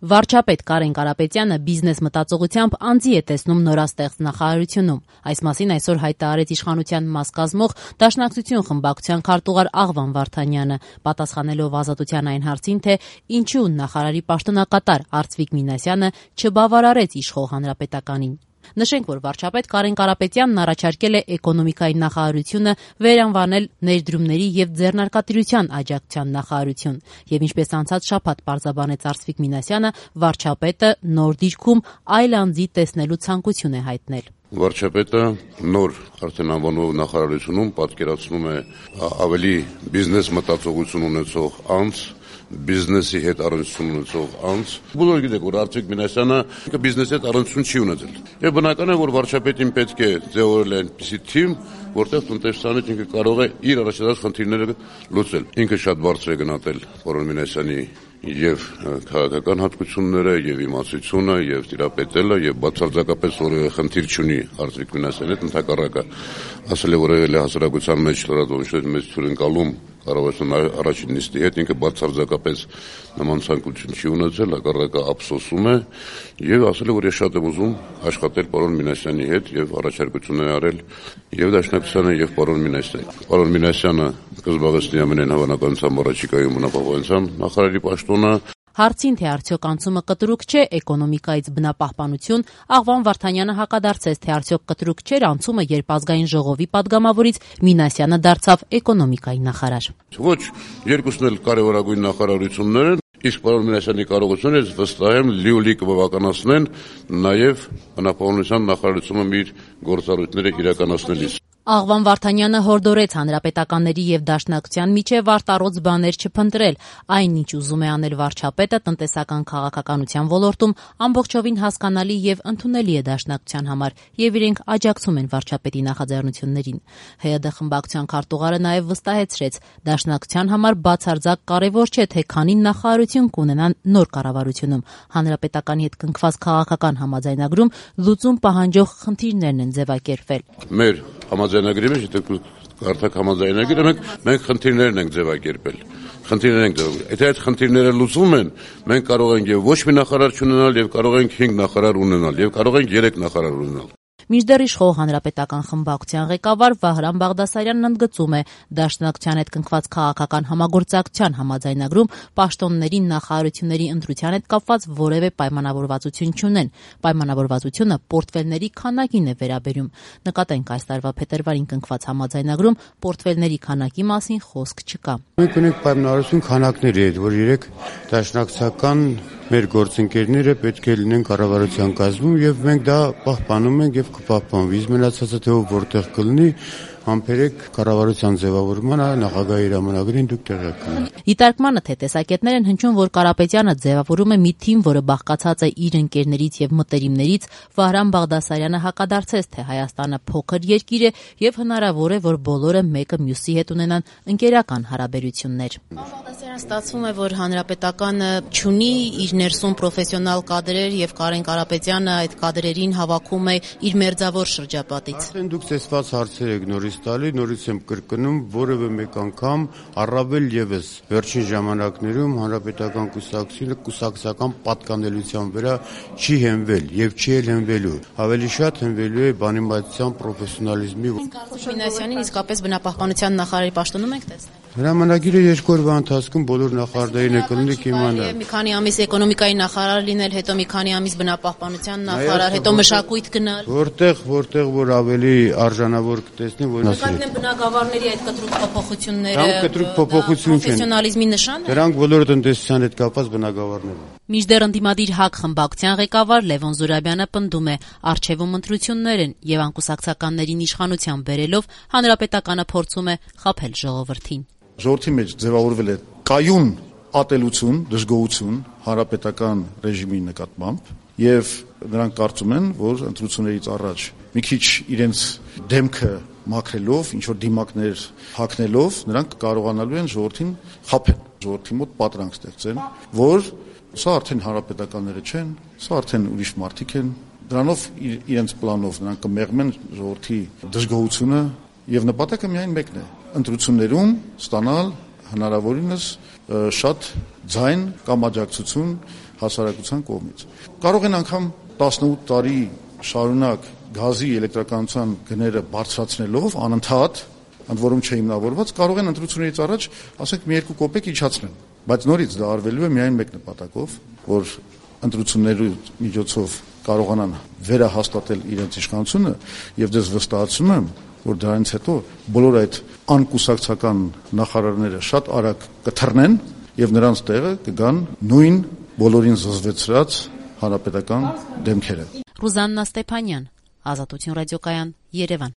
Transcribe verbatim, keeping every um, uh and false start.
Վարչապետ Կարեն Կարապետյանը բիզնես մտածողությամբ անձի է տեսնում նորաստեղծ նախարարությունում։ Այս մասին այսօր հայտ արեց իշխանության մաս կազմող Դաշնակցություն խմբակցության քարտուղար Աղվան Վարդանյանը, պատասխանելով Ազատության այն հարցին, թե ինչու նախարարի պաշտոնակատար Արծվիկ Մինասյանը չբավարարեց իշխող հանրապետականին։ Նշենք, որ վարչապետ Կարեն Կարապետյանն առաջարկել է էկոնոմիկայի նախարարությունը վերանվանել ներդրումների եւ ձեռնարկատիրության աջակցության նախարարություն, եւ ինչպես անցած շաբաթ պարզաբանեց Արծվիկ Մինասյանը, վարչապետը նոր դիրքում այլ անձի տեսնելու ցանկություն է հայտնել։ Վարչապետը նոր արդեն անվանող նախարարությունում պատկերացնում է ավելի բիզնես մտածողություն ունեցող անձ, բիզնեսի հետ առնչություն ունեցող անձ։ Բոլորը գիտեք, որ Արծվիկ Մինասյանը բիզնեսի հետ առնչություն չի ունեցել։ Եվ բնական է, որ վարչապետին պետք է ձևավորել այնպիսի թիմ, որտեղ տնտեսչականից ինքը կարող է իր առաջադարձ խնդիրները լուծել։ Ինքը շատ բարձր է գնահատել պարոն Մինասյանի եւ քաղաքական հատկությունները, եւ իմացությունը, եւ տիրապետելը, եւ բացարձակապես որևէ խնդիր չունի Արծվիկ Մինասյանի հետ, ընդհակառակը ասել է, որ եղել է հասարակության մեջ լրատվության մեծ հյուրընկալում կառավարության առաջին նիստի հետ, ինքը բացարձակապես նման ցանկություն չի ունեցել, հակառակը ափսոսում է եւ ասել է, որ ես շատ եմ ուզում աշխատել պարոն Մինասյանի հետ եւ առաջարկություն է արել եւ Դաշնակցությանը եւ պարոն Մինասյանին։ Պարոն Մինասյանը կզբաղեցնի ամենայն հավանականությամբ առաջիկայում բնապահպանության նախարարի պաշտոնը։ Հարցին, թե արդյոք անցումը կտրուկ չէ էկոնոմիկայից բնապահպանություն, Աղվան Վարդանյանը հակադարձեց, թե արդյոք կտրուկ չէր անցումը, երբ ազգային ժողովի падգամավորից Մինասյանը դարձավ էկոնոմիկայի նախարար։ Ոչ, երկուսն էլ կարևորագույն նախարարություններ են, իսկ պարոն Մինասյանի կարողությունները վստահ եմ լիոլի կբավականացնեն նաև բնապահպանության նախարարությունում իր գործառույթները իրականացնելիս։ Աղվան Վարդանյանը հորդորեց հանրապետականների եւ Դաշնակցության միջև արտառոց բաներ չփնտրել, այն ինչ ուզում է անել վարչապետը տնտեսական քաղաքականության ոլորտում ամբողջովին հասկանալի եւ ընդունելի է Դաշնակցության համար եւ իրենք աջակցում են վարչապետի նախաձեռնություններին։ ՀՅԴ խմբակցության քարտուղարը նաեւ վստահեցրեց, Դաշնակցության համար բացարձակ կարեւոր չէ, թե քանի նախարարություն կունենան նոր կառավարությունում։ Հանրապետականի հետ կնքված քաղաքական համաձայնագրում լուծում պահանջող խնդիրներն են ձևակերպվել։ Մեր համաձայնագրի մեջ, եթե կարդաք համաձայնագիրը, մենք մենք խնդիրներն ենք ձևակերպել։ Խնդիրներ ենք ձևակերպել։ Եթե այդ խնդիրները լուծվում են, մենք կարող ենք եւ ոչ մի նախարար չունենալ, եւ կարող ենք հինգ նախարար ունենալ, եւ կարող ենք երեք նախարար ունենալ։ Մինչդեռ իշխող հանրապետական խմբակցության ղեկավար Վահրամ Բաղդասարյանն ընդգծում է, Դաշնակցության հետ կնքված քաղաքական համագործակցության համաձայնագրում պաշտոնների նախարարությունների ընտրության հետ կապված որևէ պայմանավորվածություն չունեն։ Պայմանավորվածությունը պորտֆելների քանակին է վերաբերում։ Նկատենք, այս տարվա փետրվարին կնքված համաձայնագրում պորտֆելների քանակի մասին խոսք չկա։ Մենք ունենք պայմանավորվածություն քանակների հետ, որ երեք դաշնակցական մեր գործընկերները պետք է լինեն կառավարության կազմում եւ մենք դա պահպանում ենք եւ կպահպանվի։ Իսկ մնացածը թե որտեղ կլինի, համբերեք կառավարության ձևավորմանը նախագահի հրամանագրին դուք տեղյակ կլինեք։ Դիտարկմանը թե տեսակետներ են հնչում, որ Կարապետյանը ձևավորում է մի թիմ, որը բաղկացած է իր ընկերներից եւ մտերիմներից։ Վահրամ Բաղդասարյանը հակադարձեց, թե Հայաստանը փոքր երկիր է եւ հնարավոր է, որ բոլորը մեկը մյուսի հետ ունենան ընկերական հարաբերություններ։ Բաղդասարյան ստացվում է, որ հանրապետականը չունի իր ներսում պրոֆեսիոնալ կադրեր եւ Կարեն Կարապետյանը այդ կադրերին հավաքում է իր մերձավոր շրջապատից։ Արդեն դուք տեսված հարցեր եք նորից տալի, նորից եմ կրկնում, որևէ մեկ անգամ առավել եւս վերջին ժամանակներում հանրապետական կուսակցությունը կուսակցական պատկանելիության վրա չի հենվել եւ չի էլ հենվելու։ Ավելի շատ հենվելու է բանիմացիան պրոֆեսիոնալիզմի։ Մինասյանին իսկապես բնապահպանության նախարարի պաշտոնում եք տեսնել։ Հրամանագիրը երկու օրվա ընթացքում բոլոր նախարարներին է կլինի կիմանալ։ Մի քանի ամիս էկոնոմիկայի նախարար լինել, հետո մի քանի ամիս բնապահպանության նախարար, հետո մշակույթ գնալ։ Որտեղ, որտեղ որ ավելի արժանավոր կտեսնի, որ նկատեմ բնակավարների այդ կտրուկ փոփոխությունները։ Համ կտրուկ փոփոխություն չեն։ Պրոֆեսիոնալիզմի նշան է։ Դրանք բոլորը տնտեսության հետ կապված բնակավարներ են։ Մինչդեռ ընդդիմադիր ՀԱԿ խմբակցության ղեկավար Լևոն Զուրաբյանը պնդում է, առջևում ընտրություններ են եւ անկուսակցականներին իշխանության բերելով հանրապետականը փորձում է խաբել ժողովրդին։ Ժողովրդի մեջ ձևավորվել է կայուն ատելություն, դժգոհություն հանրապետական ռեժիմի նկատմամբ եւ նրանք կարծում են, որ ընտրություններից առաջ մի քիչ իրենց դեմքը մաքրելով, ինչ որ դիմակներ հագնելով, նրանք կարողանալու են ժողովրդին խաբել, ժողովրդի մոտ պատրանք ստեղծեն, որ սա արդեն հանրապետականները չեն, սա արդեն ուրիշ մարդիկ են, դրանով իրենց պլանով նրանք կմեղմեն ժողովրդի դժգոհությունը եւ նպատակը միայն մեկն է՝ ընտրություններում ստանալ հնարավորինս շատ ձայն կամ աջակցություն հասարակության կողմից։ Կարող են անգամ տասնութ տարի շարունակ գազի էլեկտրականության գները բարձրացնելով անընդհատ, ընդ որում չհիմնավորված, կարող են ընտրություններից առաջ, ասենք, մի երկու կոպեկ իջացնել, բայց նորից դա արվելու է միայն մեկ նպատակով, որ ընտրությունների միջոցով կարողանան վերահաստատել իրենց իշխանությունը, եւ դες վստահացնում եմ, որ դրանից հետո բոլոր այդ անկուսակցական նախարարները շատ արագ կթռնեն եւ նրանց տեղը կգան նույն բոլորին զզվեցրած հանրապետական դեմքերը։ Ռուզաննա Ստեփանյան, Ազատություն ռադիոկայան, Երևան։